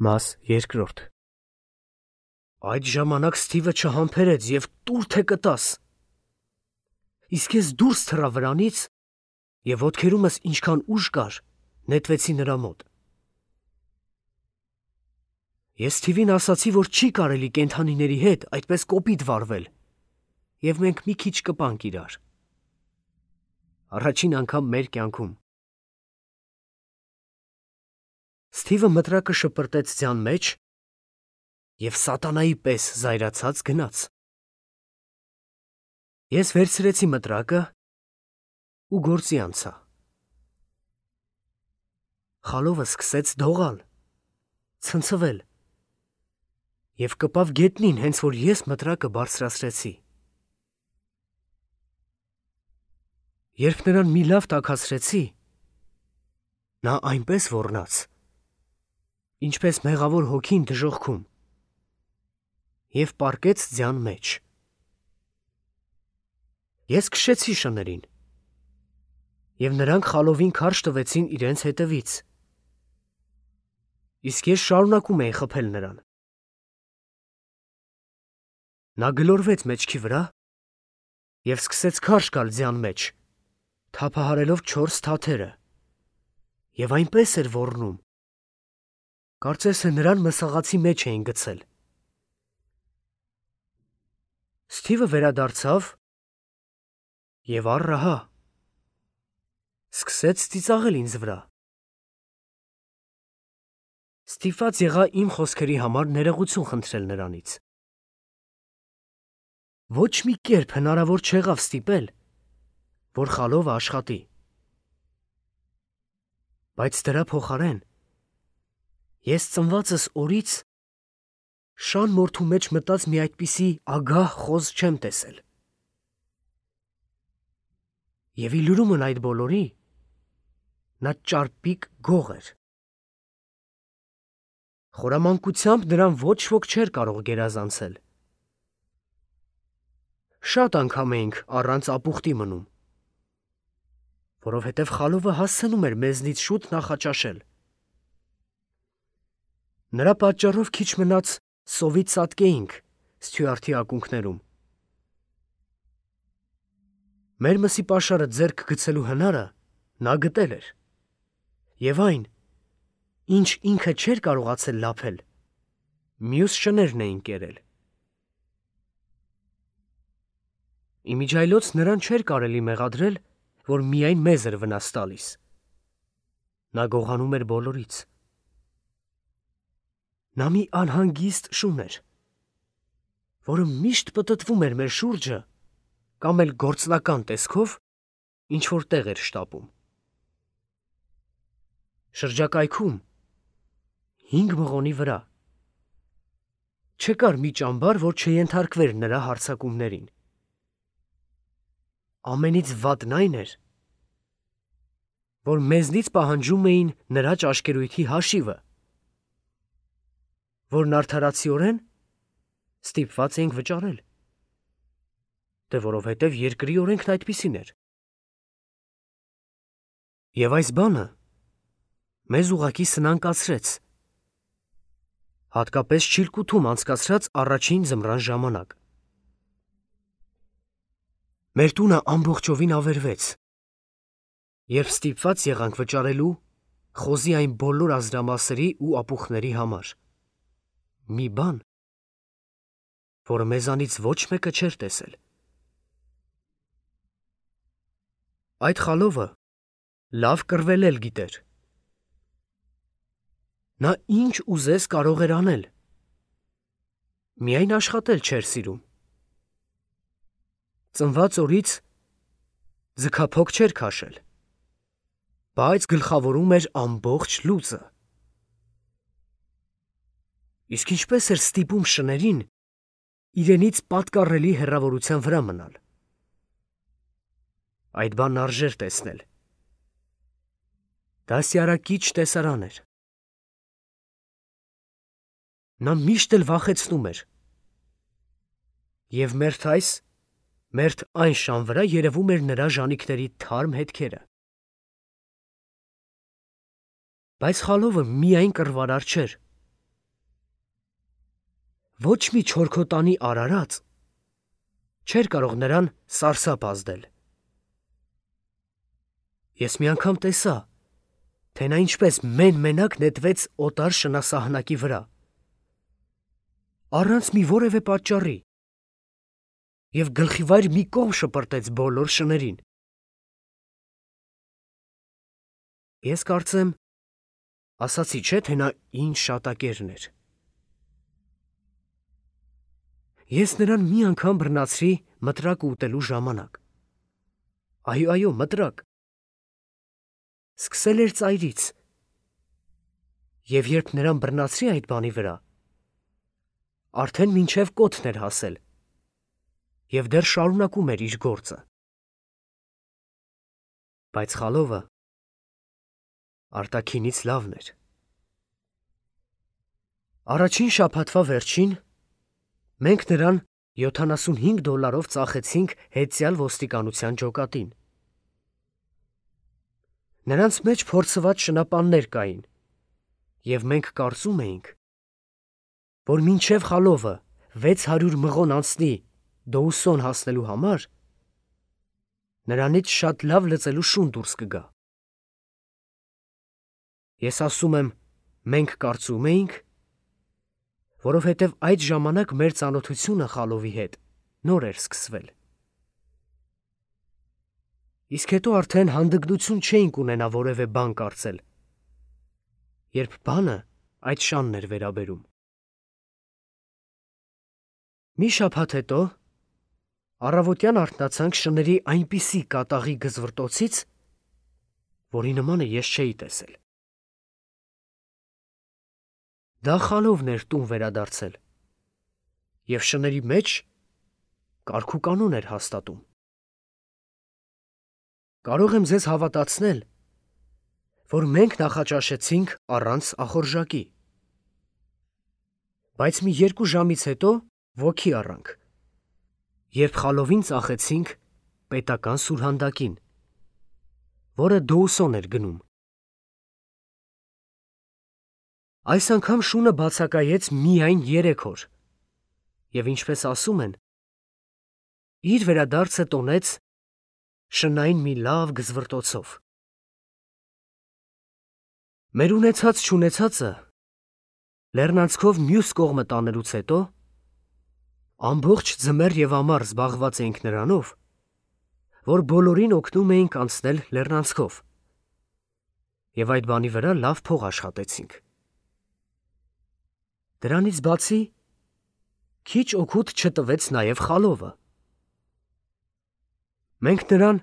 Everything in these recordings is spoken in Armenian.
Մաս երկրորդ Այդ ժամանակ Սթիվը չհամբերեց և տուր թե կտաս։ Իսկ ես դուրս թռա վրանից և ոտքերումս ինչքան ուժ կար, նետվեցի նրա մոտ։ Ես Սթիվին ասացի, որ չի կարելի կենդանիների հետ այդպես կոպիտ վարվել, և մենք մի քիչ կպանք իրար։ Առաջին անգամ մեր կյանքում։ Սթիվը մտրակը շպրտեց ձյան մեջ և սատանայի պես զայրացած գնաց։ Ես վերցրեցի մտրակը ու գործի անցա։ Խալովը սկսեց դողալ, ցնցվել և կպավ գետնին, հենց որ ես մտրակը բարձրացրեցի։ Երբ նրան մի լավ տաքացրեցի, նա այնպես ոռնաց, ինչպես մեղավոր հոգին դժոխքում, և պառկեց ձյան մեջ։ Ես քշեցի շներին, և նրանք խալովին քարշ տվեցին իրենց հետևից, իսկ ես շարունակում էի խփել նրան։ Նա գլորվեց մեջքի վրա և սկսեց քարշ գալ ձյան մեջ, թափահարելով 4 թաթերը, և այնպես էր ոռնում, կարծես թե նրան մսաղացի մեջ էին գցել։ Սթիվը վերադարձավ և առ-ահա սկսեց ծիծաղել ինձ վրա։ Ստիպված եղա իմ խոսքերի համար ներողություն խնդրել նրանից։ Ոչ մի կերպ հնարավոր չեղավ ստիպել, որ խալովը աշխատի։ Բայց դրա փոխարեն ես ծնվածս օրից շան մորթու մեջ մտած մի այդպիսի ագահ խոզ չեմ տեսել։ Եվ ի լուրումն այդ բոլորի, նա ճարպիկ գող էր։ Խորամանկությամբ նրան ոչ ոք չէր կարող գերազանցել։ Շատ անգամ էինք առանց ապուխտի մնում, որովհետև խալովը հասցնում էր մեզնից շուտ նախաճաշել։ Նրա պատճառով քիչ մնաց սովից ծածկեինք Սթյուարտի ակունքներում։ Մեր մսի պաշարը ձեռք գցելու հնարը նա գտել էր, և այն, ինչ ինքը չէր կարողացել լափել, մյուս շներն էին կերել։ Իմիջիայլոց նրան չէր կարելի մեղադրել, որ միայն մեզ էր վնաս տալիս։ Նա գողանում էր բոլորից։ Նա մի անհանգիստ շուն էր, որը միշտ պտտվում էր մեր շուրջը կամ էլ գործնական տեսքով ինչ-որ տեղ էր շտապում։ Շրջակայքում 5 մղոնի վրա չկար մի ճամբար, որ չենթարկվեր նրա հարձակումներին։ Ամենից վատն այն էր, որ մեզնից պահանջում էին նրա ճաշկերույթի հաշիվը, որն արդարացիորեն ստիպված էինք վճարել, դե որովհետև երկրի օրենքն այդպիսին էր։ Եվ այս բանը մեզ ուղղակի սնանկացրեց, հատկապես Չիլկութում անցկացրած առաջին ձմռան ժամանակ։ Մեր տունը ամբողջովին ավերվեց, երբ ստիպված եղանք վճարելու խոզի այն բոլոր ազդրամասերի ու ապուխների համար։ Մի բան, որը մեզանից ոչ մեկը չէր տեսել։ Այդ խալովը լավ կռվել գիտեր։ Նա ինչ ուզես կարող էր անել, միայն աշխատել չէր սիրում։ Ծնված օրից ձգափոք չէր քաշել, բայց գլխավորում էր ամբողջ լուծը։ Իսկ ինչպես էր ստիպում շներին իրենից պատկառելի հեռավորության վրա մնալ։ Այդ բանն արժեր տեսնել։ Դասյարակիչ տեսարան էր։ Նա միշտ էլ վախեցնում էր, և մերթ այն շան վրա երևում էր նրա ժանիքների թարմ հետքերը։ Բայց խալովը միայն կռվարար չէր, ոչ մի չորքոտանի արարած չէր կարող նրան սարսափ ազդել։ Ես մի անգամ տեսա, թե նա ինչպես մեն-մենակ նետվեց օտար շնասահնակի վրա, առանց մի որևէ պատճառի, և գլխիվայր մի կողմ շպրտեց բոլոր շներին։ Ես կարծեմ, ասացի չէ, թե նա ինչ շատակերն էր։ Ես նրան մի անգամ բռնացրի մտրակ ուտելու ժամանակ։ Այո, մտրակ։ Սկսել էր ծայրից, և երբ նրան բռնացրի այդ բանի վրա, արդեն մինչև կոթն էր հասել, և դեռ շարունակում էր իր գործը։ Բայց խալովը արտաքինից լավն էր։ Առաջին շաբաթվա վերջին մենք նրան $75 ծախեցինք հետևյալ ոստիկանության ջոկատին։ Նրանց մեջ փորձված շնապաններ կային, և մենք կարծում էինք, որ մինչև խալովը 600 մղոն անցնի Դոուսոն հասնելու համար, նրանից շատ լավ լծելու շուն դուրս կգա։ Ես ասում եմ, մենք կարծում էինք, որովհետև այդ ժամանակ մեր ծանոթությունը խալովի հետ նոր էր սկսվել։ Իսկ հետո արդեն հանդգնություն չէինք ունենա որևէ բան կարծել, երբ բանը այդ շանն էր վերաբերում։ Մի շաբաթ հետո առավոտյան արթնացանք շների այնպիսի կատաղի գզվռտոցից, որի նմանը ես չէի տեսել։ Դա խալովն էր տուն վերադարձել, և շների մեջ կարգուկանոն էր հաստատում։ Կարող եմ ձեզ հավատացնել, որ մենք նախաճաշեցինք առանց ախորժակի, բայց մի 2 ժամից հետո ոգի առանք, երբ խալովին ծախեցինք պետական սուրհանդակին, որը Դոուսոն էր գնում։ Այս անգամ շունը բացակայեց միայն 3 օր, և ինչպես ասում են, իր վերադարձը տոնեց շնային մի լավ գզվռտոցով։ Մեր ունեցած-չունեցածը լեռնանցքով մյուս կողմը տանելուց հետո ամբողջ ձմեռ և ամառ զբաղված էինք նրանով, որ բոլորին օգնում էինք անցնել լեռնանցքով, և այդ բանի վրա լավ փող աշխատեցինք։ Դրանից բացի քիչ օգուտ չտվեց նաև խալովը։ Մենք նրան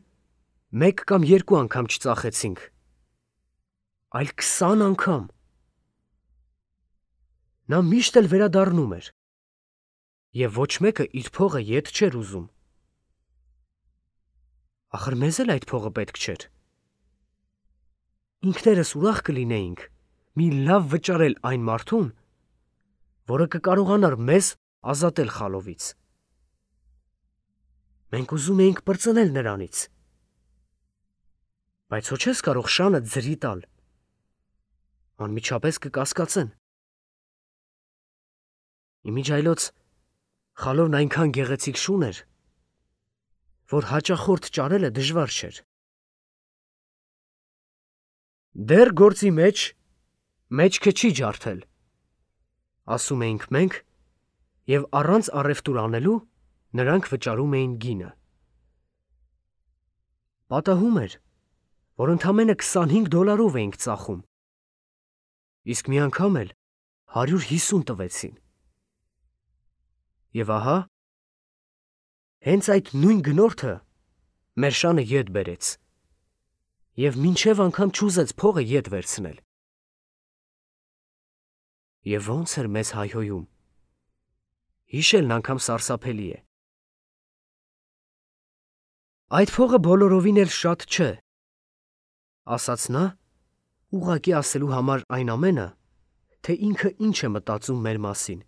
1 կամ 2 անգամ չծախեցինք, այլ 20 անգամ։ Նա միշտ էլ վերադառնում էր, և ոչ մեկը իր փողը ետ չէր ուզում։ Ախր մեզ էլ այդ փողը պետք չէր։ Ինքներս ուրախ կլինեինք մի լավ վճարել այն մարդուն, որը կկարողանար մեզ ազատել խալովից։ Մենք ուզում էինք պրծնել նրանից, բայց հո չես կարող շանը ձրի տալ, անմիջապես կկասկածեն։ Իմիջայլոց խալովն այնքան գեղեցիկ շուն էր, որ հաճախորդ ճարելը դժվար չէր։ Դեռ գործի մեջ մեջքը չի ջարդել, ասում էինք մենք, և առանց առևտուր անելու նրանք վճարում էին գինը։ Պատահում էր, որ ընդամենը $25 էինք ծախում, իսկ մի անգամ էլ 150 տվեցին։ Եվ ահա, հենց այդ նույն գնորդը մեր շանը ետ բերեց, և մինչև անգամ չուզեց փողը ետ վերցնել։ Եվ ոնց էր մեզ հայհոյում, հիշելն անգամ սարսափելի է։ Այդ փողը բոլորովին էլ շատ չէ, ասաց նա, ուղղակի ասելու համար այն ամենը, թե ինքը ինչ է մտածում մեր մասին։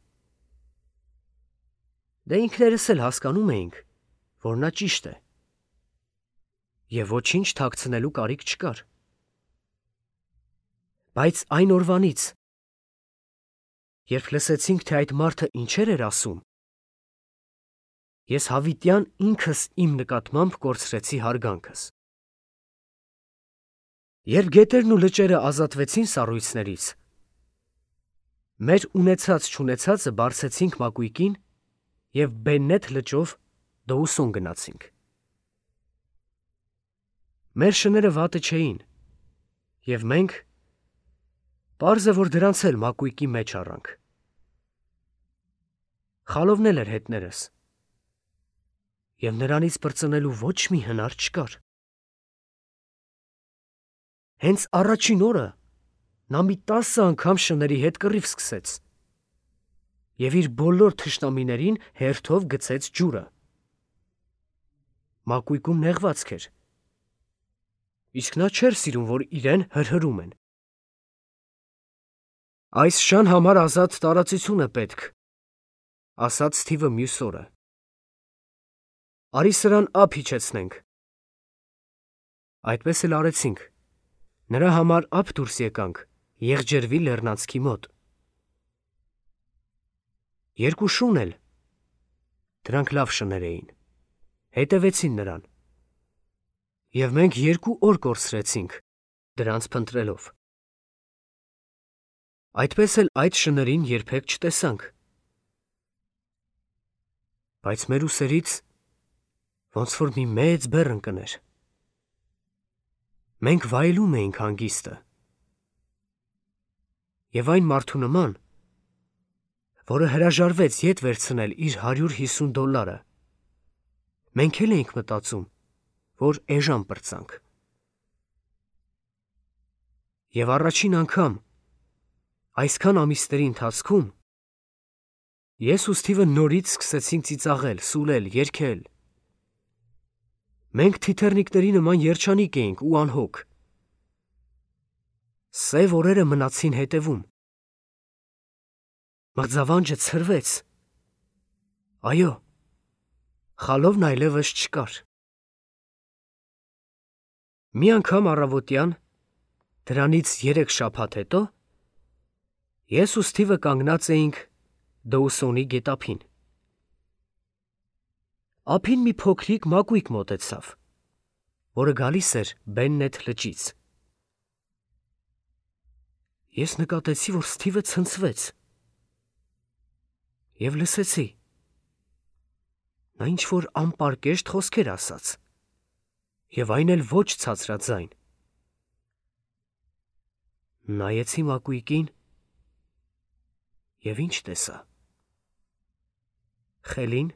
Դե ինքներս էլ հասկանում էինք, որ նա ճիշտ է, և ոչինչ թաքցնելու կարիք չկար։ Բայց այն օրվանից, Երբ լսեցինք, թե այդ մարդը ինչեր էր ասում, ես հավիտյան ինքս իմ նկատմամբ կորցրեցի հարգանքս։ Երբ գետերն ու լճերը ազատվեցին սառույցներից, մեր ունեցած-չունեցածը բարձեցինք մակույկին և Բեննեթ լճով Դոուսոն գնացինք։ Մեր շները վատը չէին, և մենք պարզ է, որ դրանց էլ մակույկի մեջ առանք։ Խալովն էլ էր հետներս, և նրանից պրծնելու ոչ մի հնար չկար։ Հենց առաջին օրը նա մի 10 անգամ շների հետ կռիվ սկսեց և իր բոլոր թշնամիներին հերթով գցեց ջուրը։ Մակույկում նեղվածք էր, իսկ նա չէր սիրում, որ իրեն հրհրում են։ Այս շան համար ազատ տարածություն է պետք, ասաց Սթիվը մյուս օրը։ Արի սրան ափ իջեցնենք։ Այդպես էլ արեցինք։ Նրա համար ափ դուրս եկանք Եղջերվի լեռնանցքի մոտ։ Երկու շուն էլ, դրանք լավ շներ էին, հետևեցին նրան, և մենք 2 օր կորցրեցինք դրանց փնտրելով։ Այդպես էլ այդ շներին երբեք չտեսանք։ Բայց մեր ուսերից ոնց որ մի մեծ բեռ ընկներ։ Մենք վայելում էինք հանգիստը։ Եվ այն մարդու նման, որը հրաժարվեց ետ վերցնել իր $150, մենք էլ էինք մտածում, որ էժան պրծանք։ Եվ առաջին անգամ այսքան ամիսների ընթացքում ես ու Սթիվը նորից սկսեցինք ծիծաղել, սուլել, երգել։ Մենք թիթեռնիկների նման երջանիկ էինք ու անհոգ։ Սև օրերը մնացին հետևում։ Մղձավանջը ցրվեց։ Այո, խալովն այլևս չկար։ Մի անգամ առավոտյան, դրանից 3 շաբաթ հետո, ես ու Սթիվը կանգնած էինք Դոուսոնի գետափին։ Ափին մի փոքրիկ մակույկ մոտեցավ, որը գալիս էր Բեննեթ լճից։ Ես նկատեցի, որ Սթիվը ցնցվեց և լսեցի. նա ինչ-որ անպարկեշտ խոսքեր ասաց, և այն էլ ոչ ցածրաձայն։ Նայեցի մակույկին և ինչ տեսա։ Խելին,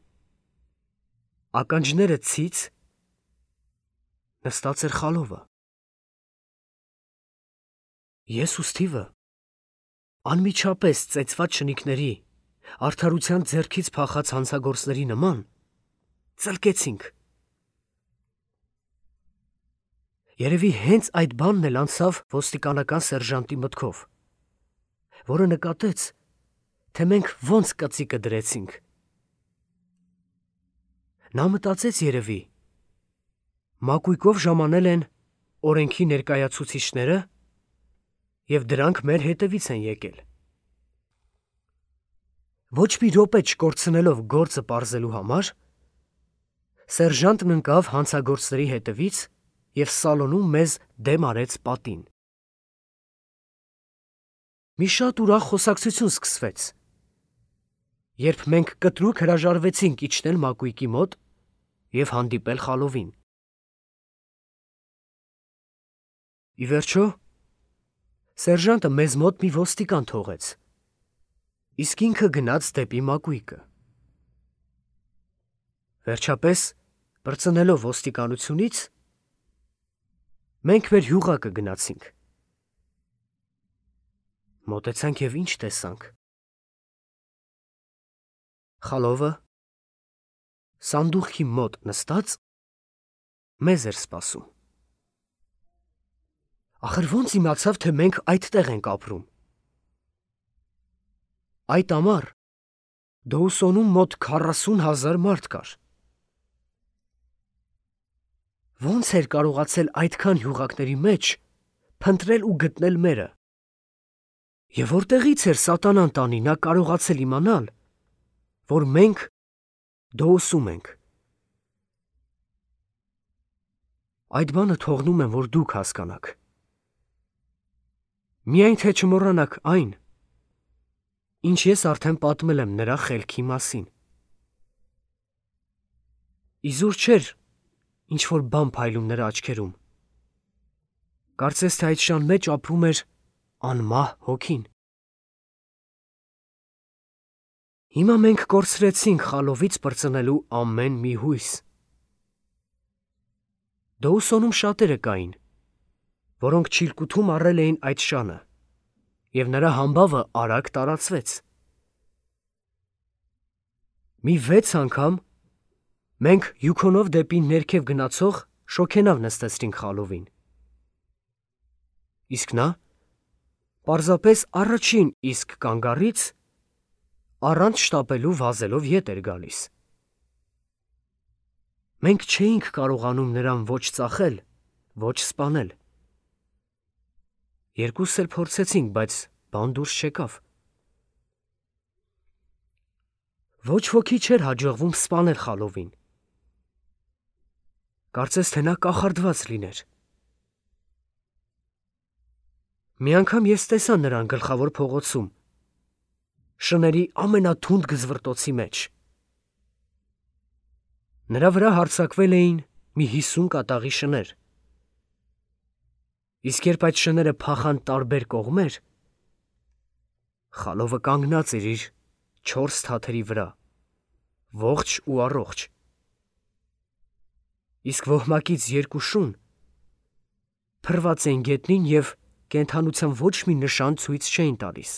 ականջները ցից, նստած էր խալովը։ Ես ու Սթիվը անմիջապես ծեծված շնիկների, արդարության ձեռքից փախած հանցագործների նման ծլկեցինք։ Երևի հենց այդ բանն էլ անցավ ոստիկանական սերժանտի մտքով, որը նկատեց, թե մենք ոնց կծիկը դրեցինք։ Նա մտածեց երևի, մակույկով ժամանել են օրենքի ներկայացուցիչները և դրանք մեր հետևից են եկել։ Ոչ մի րոպե չկորցնելով գործը պարզելու համար, սերժանտն ընկավ հանցագործների հետևից և սալոնում մեզ դեմ արեց պատին։ Մի շատ ուրախ խոսակցություն սկսվեց, երբ մենք կտրուկ հրաժարվեցինք իջնել մակույկի մոտ և հանդիպել խալովին։ Ի վերջո, սերժանտը մեզ մոտ մի ոստիկան թողեց, իսկ ինքը գնաց դեպի մակույկը։ Վերջապես, պրծնելով ոստիկանությունից, մենք մեր յուղակը գնացինք։ Մոտեցանք և ինչ տեսանք։ Խալովը սանդուղքի մոտ նստած մեզ էր սպասում։ Ախր ոնց իմացավ, թե մենք այդտեղ ենք ապրում։ Այդ ամառ Դոուսոնում մոտ 40,000 մարդ կար։ Ոնց էր կարողացել այդքան յուղակների մեջ փնտրել ու գտնել մերը։ Եվ որտեղից էր սատանան տանի, նա կարողացել իմանալ, որ մենք դոոսում ենք։ Այդ բանը թողնում եմ, որ դուք հասկանաք։ Միայն թե չմոռանաք այն, ինչ ես արդեն պատմել եմ նրա խելքի մասին։ Իզուր չէր ինչ-որ բան փայլում նրա աչքերում։ Կարծես թե այդ շան մեջ ապրում էր անմահ հոգին։ Հիմա մենք կորցրեցինք խալովից պրծնելու ամեն մի հույս։ Դոուսոնում շատերը կային, որոնք չիլկութում առել էին այդ շանը, և նրա համբավը արագ տարածվեց։ Մի 6 անգամ մենք Յուքոնով դեպի ներքև գնացող շոգենավ նստեցրինք խալովին։ Իսկ նա պարզապես առաջին իսկ կանգառից առանց շտապելու վազելով ետ էր գալիս։ Մենք չէինք կարողանում նրան ոչ ծախել, ոչ սպանել։ Երկուսս էլ փորձեցինք, բայց բան դուրս չեկավ։ Ոչ ոքի չէր հաջողվում սպանել խալովին։ Կարծես թե նա կախարդված լիներ։ Մի անգամ ես տեսա նրան գլխավոր փողոցում, շների ամենաթունդ գզվռտոցի մեջ։ Նրա վրա հարձակվել էին մի 50 կատաղի շներ։ Իսկ երբ այդ շները փախան տարբեր կողմեր, խալովը կանգնած էր իր 4 թաթերի վրա, ողջ ու առողջ։ Իսկ ոհմակից 2 շուն փռված էին գետնին և կենդանության ոչ մի նշան ցույց չէին տալիս։